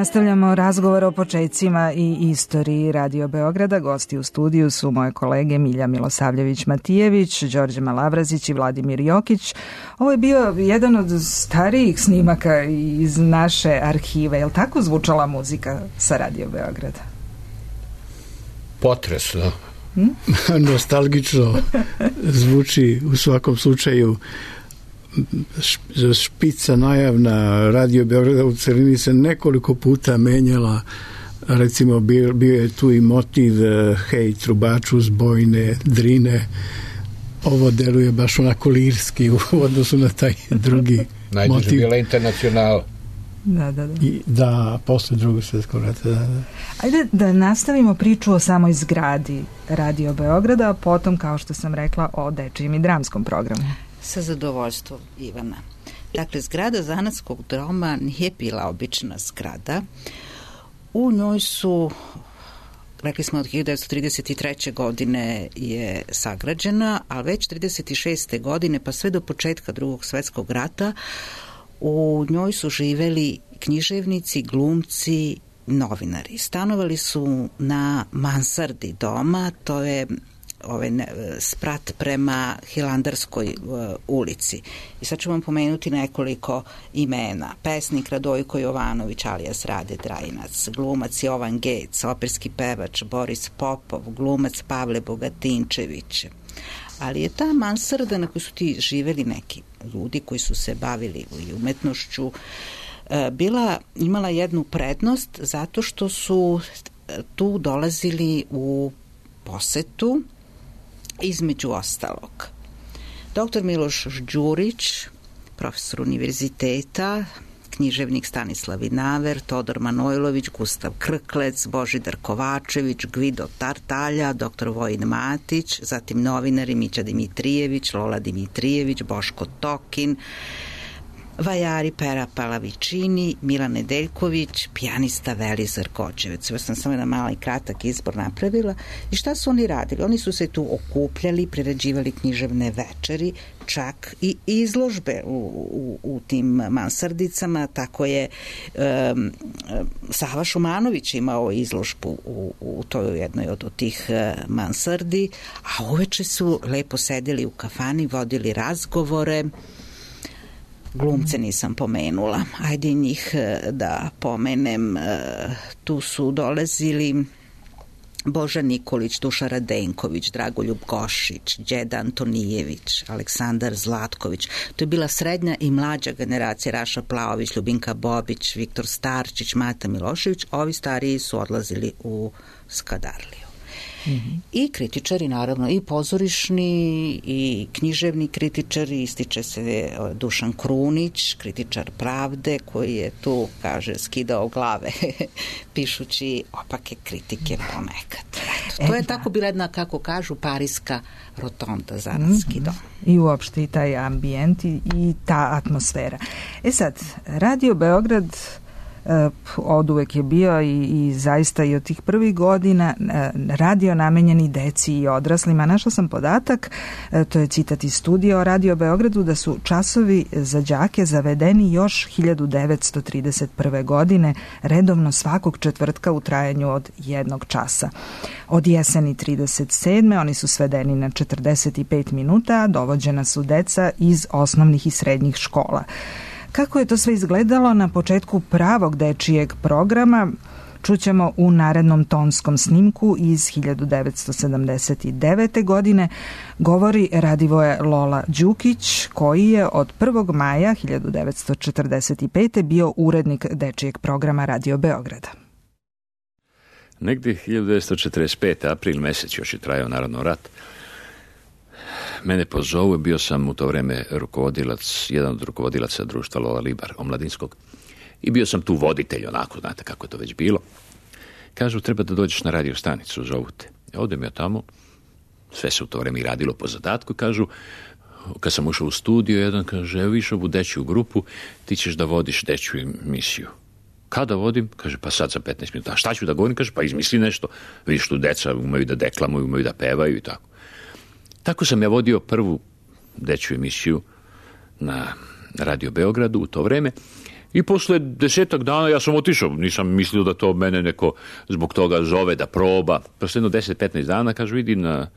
nastavljamo razgovor o počecima i istoriji Radio Beograda. Gosti u studiju su moje kolege Milja Milosavljević-Matijević, Đorđe Malavrazić i Vladimir Jokić. Ovo je bio jedan od starijih snimaka iz naše arhive. Je li tako zvučala muzika sa Radio Beograda? Potresno. Hm? Nostalgično zvuči u svakom slučaju. Špica najavna Radio Beograda u celini se nekoliko puta menjala. Recimo bio, bio je tu i motiv hej trubaču zbojne drine. Ovo deluje baš onako lirski u odnosu na taj drugi Najduže motiv. bila Internacional. Da, da, da. I, da, posle drugog svjetskog rata. Da, da. Ajde da nastavimo priču o samoj zgradi Radio Beograda, a potom, kao što sam rekla, o dečijem i dramskom programu. Sa zadovoljstvom, Ivana. Dakle, zgrada zanatskog doma nije bila obična zgrada. U njoj su, rekli smo, od hiljadu devetsto trideset treće. godine je sagrađena, a već trideset šeste. godine, pa sve do početka drugog svjetskog rata, u njoj su živeli književnici, glumci, novinari. Stanovali su na mansardi doma, to je ovaj sprat prema Hilandarskoj uh, ulici. I sad ću vam pomenuti nekoliko imena. Pesnik Radojko Jovanović alias Rade Drajinac, glumac Jovan Gec, operski pevač Boris Popov, glumac Pavle Bogatinčević. Ali je ta mansarda na kojoj su ti živeli neki ljudi koji su se bavili i umetnošću uh, bila, imala jednu prednost zato što su tu dolazili u posetu između ostalog doktor Miloš Đurić, profesor univerziteta, književnik Stanislav Vinaver, Todor Manojlović, Gustav Krklec, Božidar Kovačević, Gvido Tartalja, doktor Vojin Matić, zatim novinari Mića Dimitrijević, Lola Dimitrijević, Boško Tokin, vajari Pera Palavičini, Milan Nedeljković, pijanista Velizar Kočevac. Ovo sam samo jedan mali kratak izbor napravila. I šta su oni radili? Oni su se tu okupljali, priređivali književne večeri, čak i izložbe u, u, u tim mansardicama. Tako je um, Sava Šumanović imao izložbu u, u toj jednoj od, od tih uh, mansardi, a uveče su lepo sedeli u kafani, vodili razgovore. Glumce nisam pomenula. Ajde njih da pomenem. Tu su dolazili Boža Nikolić, Duša Radenković, Dragoljub Gošić, Đeda Antonijević, Aleksandar Zlatković. To je bila srednja i mlađa generacija. Raša Plaović, Ljubinka Bobić, Viktor Starčić, Mata Milošević. Ovi stariji su odlazili u Skadarliju. Mm-hmm. I kritičari, naravno, i pozorišni i književni kritičari, ističe se Dušan Krunić, kritičar Pravde, koji je tu, kaže, skidao glave pišući opake kritike ponekad. Eto, to je tako bila jedna, kako kažu, parijska rotonda, zanatski mm-hmm. dom. I uopšte i taj ambijent i, i ta atmosfera. E sad, Radio Beograd od uvek je bio i, i zaista i od tih prvih godina radio namenjeni deci i odraslima. Našla sam podatak, to je citat iz studija o Radio Beogradu, da su časovi za đake zavedeni još hiljadu devetsto trideset prve. godine, redovno svakog četvrtka u trajanju od jednog časa. Od jeseni trideset sedme. oni su svedeni na četrdeset pet minuta, a dovođena su deca iz osnovnih i srednjih škola. Kako je to sve izgledalo na početku pravog dečijeg programa, čućemo u narednom tonskom snimku iz hiljadu devetsto sedamdeset devete. godine, govori Radivoje Lola Đukić, koji je od prvog maja hiljadu devetsto četrdeset pete. bio urednik dečijeg programa Radio Beograda. Negdje hiljadu devetsto četrdeset pete. april mesec, još je trajao naravno rat. Mene pozovu, bio sam u to vreme rukovodilac, jedan od rukovodilaca društva Lola Libar, omladinskog. I bio sam tu voditelj, onako, znate kako je to već bilo. Kažu, treba da dođeš na radio stanicu, zovu te. Odem ja tamo, sve se u to vreme i radilo po zadatku, kažu, kad sam ušao u studio, jedan kaže, evo viš ovu dečju grupu, ti ćeš da vodiš dečju emisiju. Kada vodim? Kaže, pa sad za petnaest minuta. A šta ću da govorim? Kaže, pa izmisli nešto. Vidiš tu deca umeju da deklamuju, umeju da pevaju i tako. Tako sam ja vodio prvu dečju emisiju na Radio Beogradu u to vreme. I posle desetak dana ja sam otišao, nisam mislio da to mene neko zbog toga zove da proba. Posle jedno deset petnaest dana, kaže, vidi na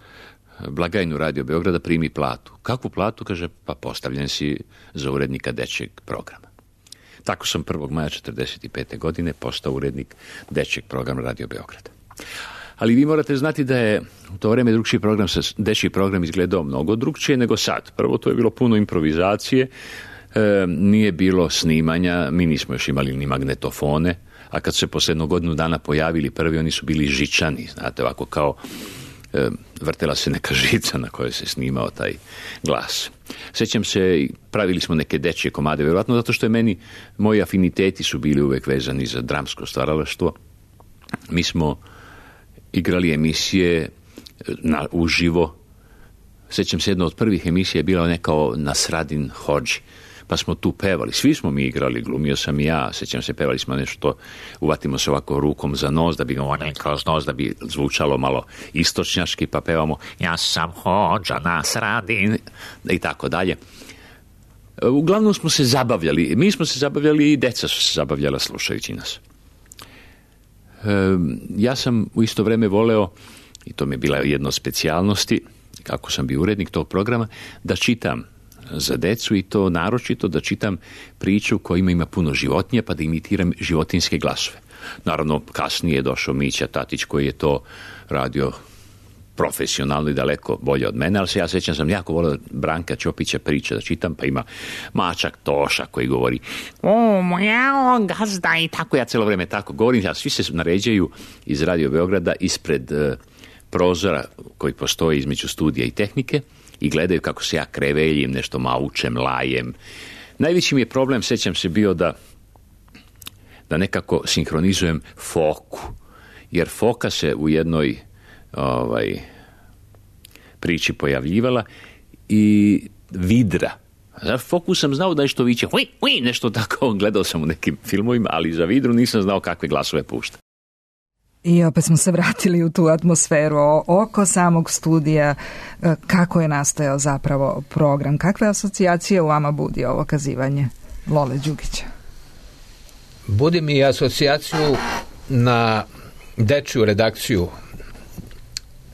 blagajnu Radio Beograda, primi platu. Kakvu platu? Kaže, pa postavljen si za urednika dečjeg programa. Tako sam prvog maja četrdeset pete. godine postao urednik dečjeg programa Radio Beograda. Ali vi morate znati da je u to vreme drugčiji program, dečji program izgledao mnogo drugčije nego sad. Prvo, to je bilo puno improvizacije, e, nije bilo snimanja, mi nismo još imali ni magnetofone, a kad su se posle jednog godinu dana pojavili prvi, oni su bili žičani, znate, ovako kao e, vrtela se neka žica na kojoj se snimao taj glas. Sjećam se, pravili smo neke dečje komade, vjerojatno zato što je meni, moji afiniteti su bili uvek vezani za dramsko stvaralaštvo. Mi smo igrali emisije na, uživo. Sjećam se, jedna od prvih emisija je bila neka o Nasradin Hodži, pa smo tu pevali. Svi smo mi igrali, glumio sam i ja. Sjećam se, pevali smo nešto, uvatimo se ovako rukom za nos, da bi govorili kroz nos, da bi zvučalo malo istočnjaški, pa pevamo ja sam Hodža Nasradin i tako dalje. Uglavnom smo se zabavljali. Mi smo se zabavljali i deca su se zabavljala slušajući nas. Ja sam u isto vreme voleo, i to mi je bila jedna od specijalnosti, kako sam bio urednik tog programa, da čitam za decu, i to naročito da čitam priču kojima ima puno životinja, pa da imitiram životinjske glasove. Naravno, kasnije je došao Mića Tatić koji je to radio profesionalno i daleko bolje od mene, ali se ja sjećam, sam jako volio Branka Ćopića priča da čitam, pa ima mačak Toša koji govori o, moja gazda, i tako ja celo vreme tako govorim, a svi se naređaju iz Radio Beograda ispred uh, prozora koji postoji između studija i tehnike i gledaju kako se ja kreveljim, nešto maučem, lajem. Najveći mi je problem, sjećam se, bio da da nekako sinhronizujem foku, jer foka se u jednoj ovaj, priči pojavljivala i vidra. Za foku sam znao da nešto viće, hui, hui, nešto tako, gledao sam u nekim filmovima, ali za vidru nisam znao kakve glasove pušta. I opet smo se vratili u tu atmosferu oko samog studija. Kako je nastajao zapravo program? Kakve asocijacije u vama budi ovo kazivanje Lole Đukića? Budi mi asocijaciju na dečju redakciju.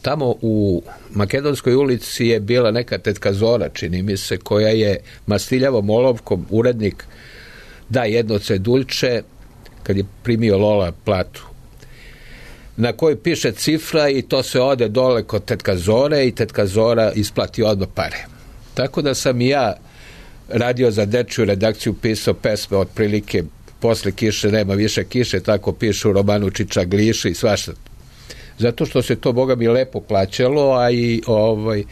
Tamo u Makedonskoj ulici je bila neka tetka Zora, čini mi se, koja je mastiljavom olovkom urednik da jedno ceduljče kad je primio Lola platu, na kojoj piše cifra i to se ode dole kod tetka Zore i tetka Zora isplati odmah pare. Tako da sam i ja radio za dečju redakciju, pisao pesme otprilike posle kiše nema više kiše, tako pišu u romanu Čičagliši i svašta. Zato što se to, Boga mi, lepo plaćalo, a i ovaj,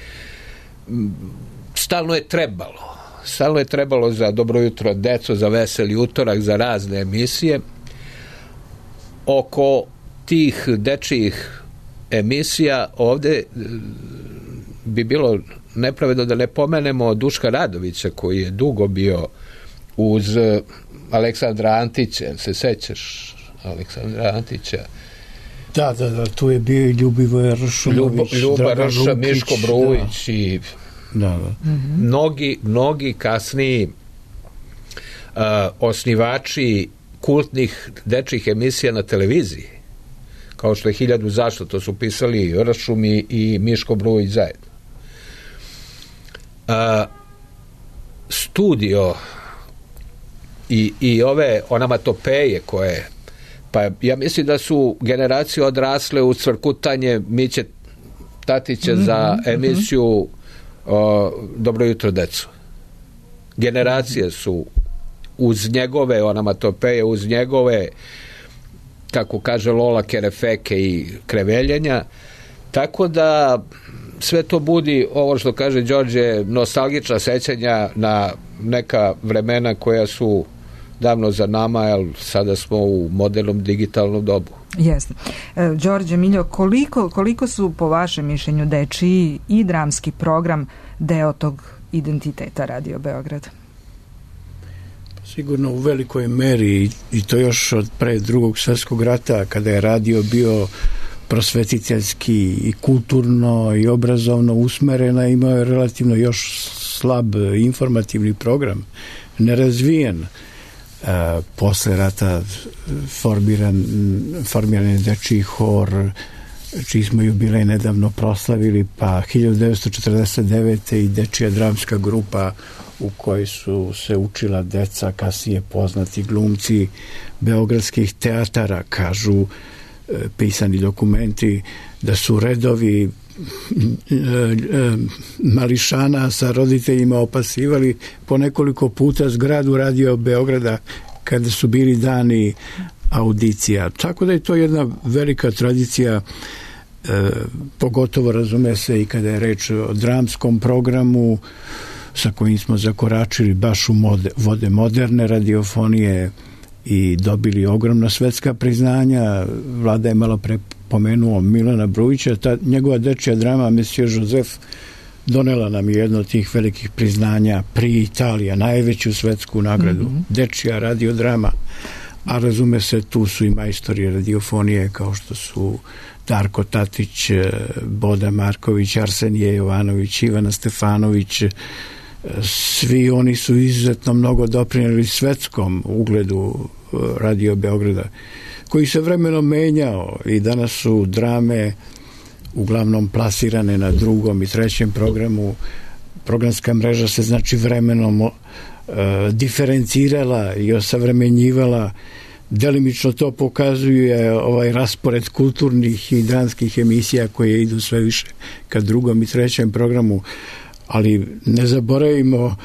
stalno je trebalo. Stalno je trebalo za Dobro jutro deco, za Veseli utorak, za razne emisije. Oko tih dečijih emisija ovde bi bilo nepravedno da ne pomenemo Duška Radovića, koji je dugo bio uz Aleksandra Antića. Se sećaš Aleksandra Antića? Da, da, da, tu je bio i Ljubivoje Ršumović, Ljuba Rša, Miško Brujić, da. I da, da. Mm-hmm. mnogi, mnogi kasniji uh, osnivači kultnih dečjih emisija na televiziji, kao što je Hiljadu zašto, to su pisali Ršum i, i Miško Brujić zajedno. Uh, studio i, i ove onomatopeje koje, pa ja mislim da su generacije odrasle u cvrkutanje Miće Tatića mm-hmm, za emisiju o, Dobro jutro deco. Generacije su uz njegove onomatopeje, uz njegove, kako kaže Lola, kerefeke i kreveljenja, tako da sve to budi, ovo što kaže Đorđe, nostalgična sećanja na neka vremena koja su davno za nama, jer sada smo u modernom digitalnom dobu. Jeste. E, Đorđe, Miljo, koliko, koliko su po vašem mišljenju dečiji i dramski program deo tog identiteta Radio Beograd? Sigurno u velikoj meri, i to još od pre drugog svjetskog rata, kada je radio bio prosvetiteljski i kulturno i obrazovno usmerena, imao je relativno još slab informativni program, nerazvijen. posle rata formiran, formiran je dečiji hor, čiji smo jubilej nedavno proslavili, pa hiljadu devetsto četrdeset devete i dečija dramska grupa u kojoj su se učila deca, kasnije poznati glumci beogradskih teatara. Kažu pisani dokumenti da su redovi mališana sa roditeljima opasivali po nekoliko puta zgradu Radio Beograda kada su bili dani audicija. Tako da je to jedna velika tradicija, e, pogotovo razume se i kada je reč o dramskom programu sa kojim smo zakoračili baš u mode, vode moderne radiofonije i dobili ogromna svetska priznanja. Vlada je malo pre pomenuo Milana Brujića, ta njegova dečija drama Monsieur Joseph donela nam jedno od tih velikih priznanja pri Italija, najveću svetsku nagradu, mm-hmm. dečija radiodrama, a razume se tu su i majstori radiofonije kao što su Darko Tatić, Boda Marković, Arsenije Jovanović, Ivana Stefanović. Svi oni su izuzetno mnogo doprinijeli svetskom ugledu Radio Beograda, koji se vremenom menjao i danas su drame uglavnom plasirane na drugom i trećem programu. Programska mreža se znači vremenom uh, diferencirala i osavremenjivala. Delimično to pokazuje ovaj raspored kulturnih i dramskih emisija koje idu sve više ka drugom i trećem programu, ali ne zaboravimo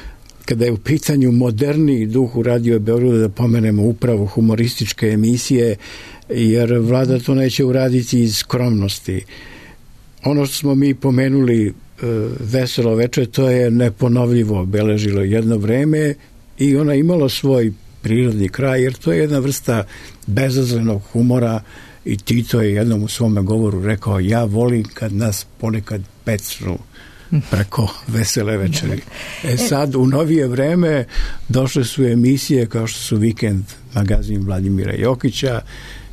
kada je u pitanju moderniji duh u Radio Beogradu da pomenemo upravo humorističke emisije, jer Vlada to neće uraditi iz skromnosti. Ono što smo mi pomenuli e, Veselo veče, to je neponovljivo obeležilo jedno vreme i ona imalo svoj prirodni kraj, jer to je jedna vrsta bezazlenog humora i Tito je jednom u svome govoru rekao: ja volim kad nas ponekad pecnu preko Vesele večeri. E sad, u novije vreme došle su emisije kao što su Vikend magazin Vladimira Jokića,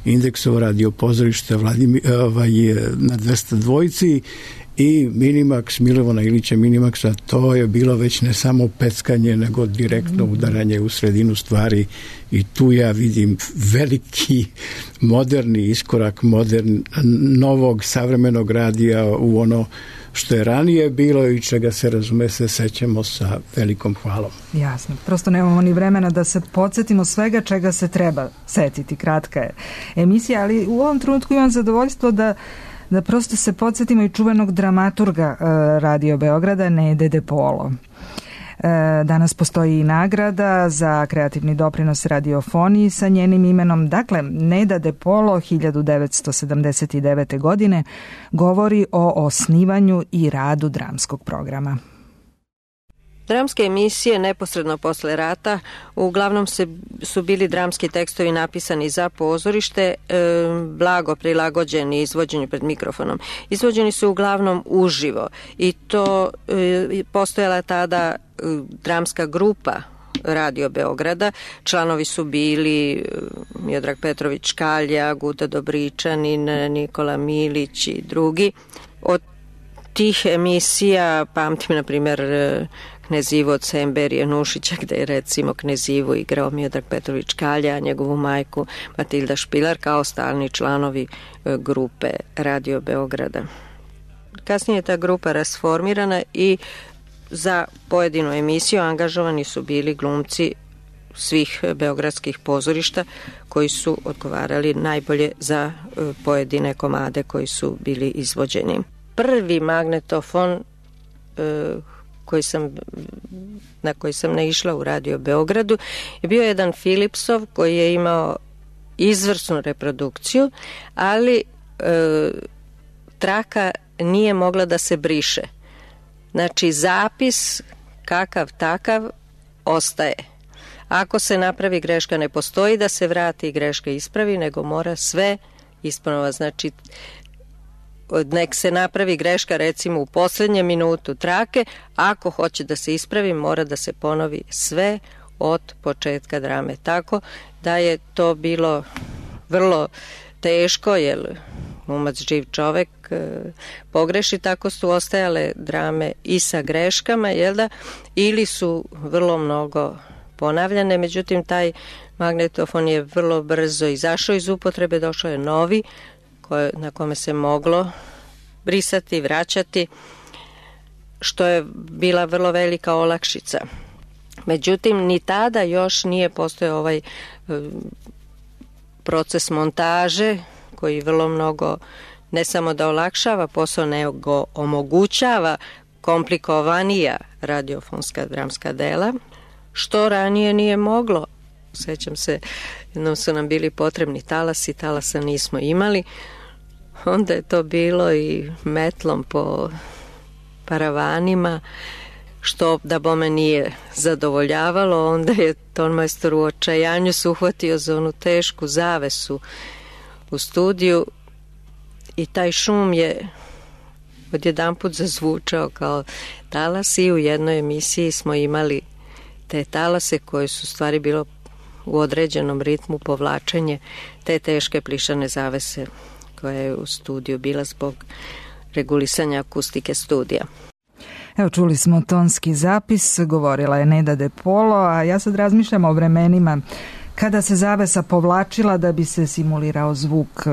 Indeksovo radio pozorište Vladimir, ovaj, na dvesta dvojici i Minimax, Milovana Ilića Minimaxa. To je bilo već ne samo peckanje, nego direktno udaranje u sredinu stvari i tu ja vidim veliki moderni iskorak modern, novog savremenog radija u ono što je ranije bilo i čega se razume se sećamo sa velikom hvalom. Jasno, prosto nemamo ni vremena da se podsjetimo svega čega se treba setiti. Kratka je emisija, ali u ovom trenutku imam zadovoljstvo da da prosto se podsjetimo i čuvenog dramaturga uh, Radio Beograda, Nede De Polo. Danas postoji i nagrada za kreativni doprinos radiofoniji sa njenim imenom. Dakle, Neda De Polo hiljadu devetsto sedamdeset devete. godine govori o osnivanju i radu dramskog programa. Dramske emisije neposredno posle rata uglavnom se, su bili dramski tekstovi napisani za pozorište, e, blago prilagođeni izvođenju pred mikrofonom. Izvođeni su uglavnom uživo i to e, postojala tada e, dramska grupa Radio Beograda. Članovi su bili Miodrag Petrović Kalja, Guta Dobričanin, Nikola Milić i drugi. Od tih emisija pamtim, na primjer, Knezivo od Semberije Nušića, gde je recimo Knezivo igrao Miodrag Petrović Kalja, a njegovu majku Matilda Špilar kao stalni članovi grupe Radio Beograda. Kasnije je ta grupa rasformirana i za pojedinu emisiju angažovani su bili glumci svih beogradskih pozorišta koji su odgovarali najbolje za pojedine komade koji su bili izvođeni. Prvi magnetofon koji sam, na koji sam naišla u Radio Beogradu je bio jedan Philipsov koji je imao izvrsnu reprodukciju, ali e, traka nije mogla da se briše. Znači, zapis kakav takav ostaje. Ako se napravi greška, ne postoji da se vrati i greška ispravi, nego mora sve isponova. Znači, nek se napravi greška recimo u poslednjem minutu trake, ako hoće da se ispravi, mora da se ponovi sve od početka drame. Tako da je to bilo vrlo teško, jer glumac živ čovek pogreši, tako su ostajale drame i sa greškama, jel da, ili su vrlo mnogo ponavljane. Međutim, taj Magnetofon je vrlo brzo izašao iz upotrebe, došao je novi koje, na kome se moglo brisati, vraćati, što je bila vrlo velika olakšica. Međutim, ni tada još nije postojao ovaj e, proces montaže koji vrlo mnogo ne samo da olakšava posao, nego omogućava komplikovanija radiofonska dramska dela, što ranije nije moglo. Sećam se, jednom su nam bili potrebni talasi, talasa nismo imali, onda je to bilo i metlom po paravanima, što da bome nije zadovoljavalo. Onda je tonmajstor u očajanju se uhvatio za onu tešku zavesu u studiju i taj šum je odjedanput zazvučao kao talas i u jednoj emisiji smo imali te talase koje su stvari bilo u određenom ritmu povlačenje te teške plišane zavese koja je u studiju bila zbog regulisanja akustike studija. Evo, čuli smo tonski zapis, govorila je Neda De Polo, a ja sad razmišljam o vremenima kada se zavesa povlačila da bi se simulirao zvuk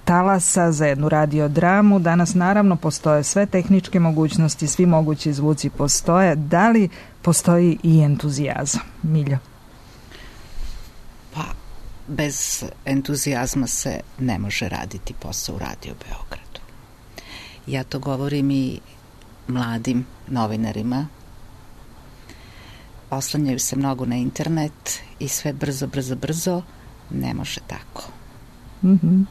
talasa za jednu radiodramu. Danas naravno postoje sve tehničke mogućnosti, svi mogući zvuci postoje. Da li postoji i entuzijazam? Milja? Pa, bez entuzijazma se ne može raditi posao u Radio Beogradu. Ja to govorim i mladim novinarima. Oslanjaju se mnogo na internet i sve brzo, brzo, brzo. Ne može tako. Mm-hmm.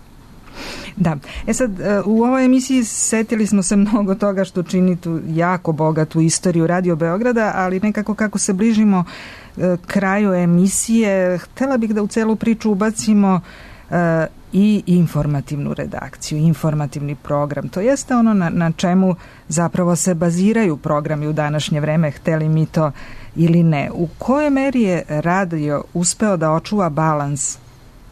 Da. E sad, u ovoj emisiji setili smo se mnogo toga što čini tu jako bogatu istoriju Radio Beograda, ali nekako kako se bližimo kraju emisije, htela bih da u celu priču ubacimo uh, i informativnu redakciju, informativni program. To jeste ono na, na čemu zapravo se baziraju programi u današnje vreme, hteli mi to ili ne. U kojoj meri je radio uspeo da očuva balans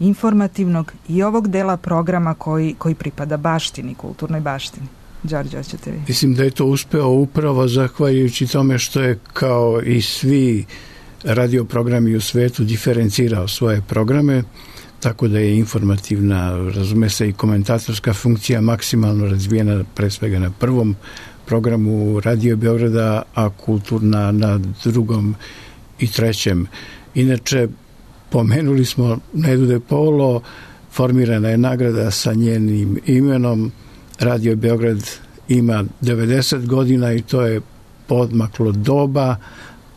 informativnog i ovog dela programa koji, koji pripada baštini, kulturnoj baštini? Đorđe, hoćete vi? Mislim da je to uspeo upravo zahvaljujući tome što je kao i svi radioprogrami u svetu diferencirao svoje programe, tako da je informativna, razume se, i komentatorska funkcija maksimalno razvijena pre svega na prvom programu Radio Beograda, a kulturna na drugom i trećem. Inače, pomenuli smo Nedu De Polo, formirana je nagrada sa njenim imenom. Radio Beograd ima devedeset godina i to je podmaklo doba,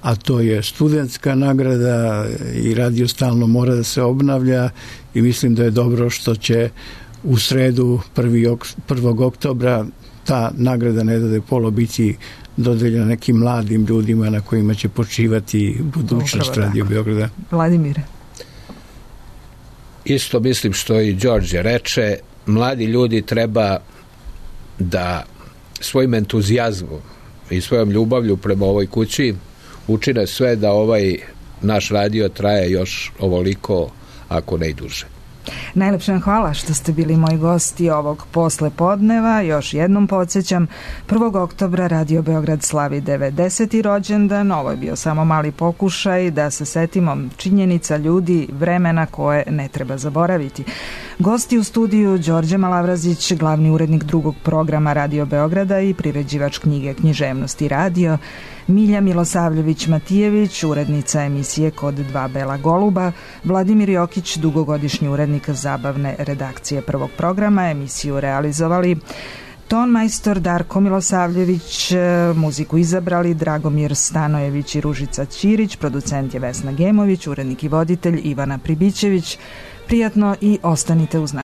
a to je studentska nagrada i radio stalno mora da se obnavlja i mislim da je dobro što će u sredu prvog oktobra ta nagrada Neda De Polo biti dodeljena nekim mladim ljudima na kojima će počivati budućnost Radio Beograda. Vladimire? Isto mislim što i Đorđe reče, mladi ljudi treba da svojim entuzijazmom i svojom ljubavlju prema ovoj kući učine sve da ovaj naš radio traje još ovoliko, ako ne i duže. Najlepše vam hvala što ste bili moji gosti ovog posle podneva. Još jednom podsjećam, prvog oktobra Radio Beograd slavi devedeseti rođendan. Ovo je bio samo mali pokušaj da se setimo činjenica, ljudi, vremena koje ne treba zaboraviti. Gosti u studiju Đorđe Malavrazić, glavni urednik drugog programa Radio Beograda i priređivač knjige Književnost i radio, Milja Milosavljević-Matijević, urednica emisije Kod dva bela goluba, Vladimir Jokić, dugogodišnji urednik zabavne redakcije prvog programa, emisiju realizovali tonmajstor Darko Milosavljević, muziku izabrali Dragomir Stanojević i Ružica Ćirić, producent je Vesna Gemović, urednik i voditelj Ivana Pribićević. Prijatno i ostanite uz nas.